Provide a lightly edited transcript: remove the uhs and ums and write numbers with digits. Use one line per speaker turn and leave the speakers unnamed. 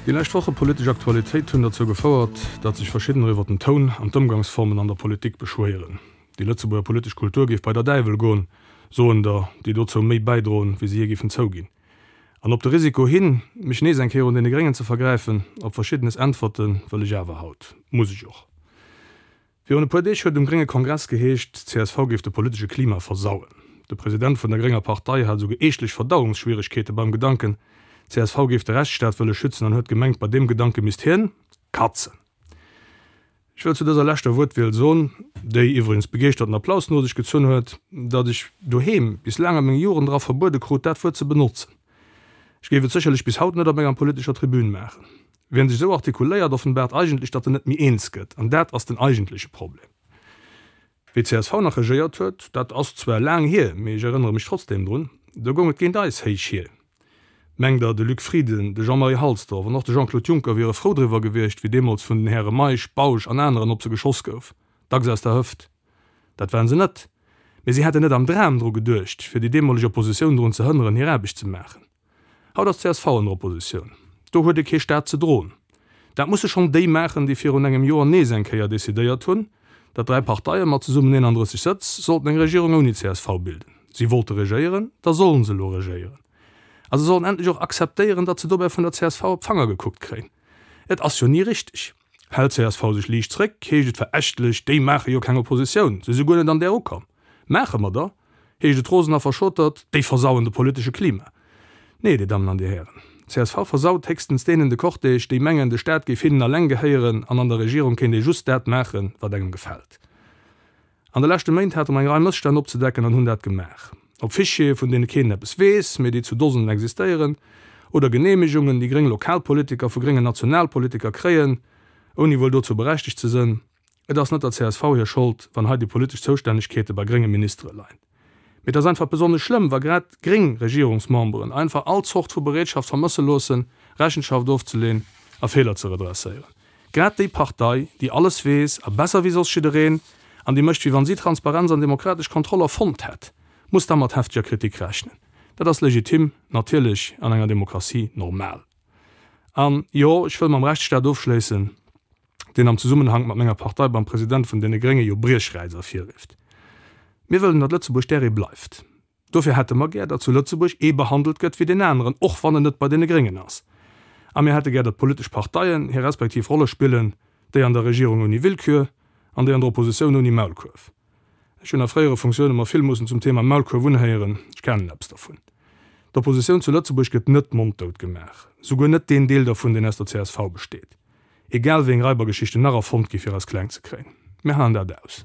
Déi lescht Woche politesch Aktualitéit hunn derzou gefouert, datt sech verschiddener iwwer den Toun an d'Ëmgangsformen an der Politik beschwéieren. Déi Lëtzebuerger politesch Kultur géif bei der Däiwel goen, soen der, déi dozou méi bäidroen, wéi se je géifen zouginn. An op de Risiko hin, mech nees eng Kéier un deene Gréngen ze vergräifen, op Verschiddenes äntwerte wëll ech awer haut. Muss ech och. Virun e puer Deeg huet um grénge Kongress geheescht, csv géif de politesche Klima versauen. De President vun der grénger Partei hat esouguer eeschtlech Verdauungsschwieregkeete beim Gedanken, csv géif de Rechtsstaat wëlle schützen an huet gemengt, bei deem Gedanke misst hien katzen. Ech wëll zu dëser leschter Wuertwiel soen, déi iwwregens begeeschterten Applaus no sech gezunn huet, datt ech doheem bis laang a meng Jugend era verbuede krut, dat Wuert ze benotzen. Ech géif et sécherlech bis haut net op enger politescher Tribün maachen. Wien sech esou artikuléiert, offenbaart eigentlech, datt en net méi eens gëtt. An dat ass den eigentleche Problem. Wéi csv nach regéiert huet, dat ass zwar laang hier, mee ech erënnere mech trotzdeem drun, do goung et géint eis héich hier. Mengt Der, de Luc Frieden, de Jean-Marie Halsdorf an och de Jean-Claude Juncker wiere frou driwwer gewiescht, wéi deemools vun den Häre Meisch, Bausch an aneren op se geschoss gouf, dacks aus der Hëft? Dat waren se net. Mee si hätten net am Dram dru geduecht, fir déi deemoleg Oppositioun drun ze hënneren, hir Aarbecht ze maachen. Haut ass csv an der Oppositioun. Do huet ee kee Staat ze droen. Dat musse schonn déi maachen, déi virun engem Joer nees eng Kéier decidéiert hunn, datt 3 Parteie mat zesummen 31 Sëtz sollten eng Regierung ouni csv bilden. Si wollte regéieren, da sollen se elo regéieren. A se sollen endlech och akzeptéieren, datt se dobäi vun der csv op d'Fanger gekuckt kréien. Et ass jo ni richteg. Hält csv sech liicht zréck, heescht et verächtlech, déi maache jo keng Oppositioun, se si guer net an där ukomm. Maache mer der, heescht et rosen a verschotert, déi versauen de politesche Klima. Nee, Dir Dammen an Dir Hären, csv versaut héchstens deenen de Cortège, déi mengen, de Staat géif hinnen alleng gehéieren an an der Regierung kéint ee just dat maachen, wat engem gefält. An de leschte Méint hate mer eng Rei Mësstänn opzedecken an hunn dat gemaach. Ob Fichiere, vun deene keen eppes weess, mee déi zu Dosenen existéieren, oder Geneemegungen, déi gréng Lokalpolitiker vu gréngen Nationalpolitiker kréien, ouni wuel dozou berechtegt ze sënn. Et ass net der csv hir Schold, wann hei déi politesch Zoustännegkeete bei grénge Ministere leien. Mee et ass einfach besonnesch schlëmm, wa grad gréng Regierungsmemberen einfach all Zort vu Bereetschaft vermësse loossen, Rechenschaft ofzeleen a Feeler ze redresséieren. Grad déi Partei, déi alles weess a besser wéi soss jiddereen, an déi mécht wéi wann si Transparenz an demokratesch Kontroll erfonnt hätt, muss da mat hefteger Kritik rechnen. Dat ass legitim, natierlech, an enger Demokratie normal. An, jo, ech wëll mam Rechtsstaat ofschléissen, deen am Zesummenhank mat menger Partei beim President vun deene Grénge jo Briechräiz ervirrifft. Mir wëllen, datt Lëtzebuerg där ee bleift. Dofir hätte mer gär, datt zu Lëtzebuerg ee behandelt gëtt wéi deen aneren, och wann en net bei deene Gréngen ass. A mir hätte gär, datt d'politesch Parteien hir respektiv Rolle spillen, déi an der Regierung ouni Willkür an déi an der Oppositioun ouni Maulkuerf. Ech hunn a fréiere Funktioune mer vill mussen zum Thema Maulkuerf unhéieren, ech kennen eppes dervun. D'Oppositioun zu Lëtzebuerg gëtt net monddout gemaach, souguer net deen Deel dervun, deen aus der csv besteet. Egal wéi eng Raibergeschichten nach erfonnt gi fir eis kleng ze kréien, mir halen dat aus.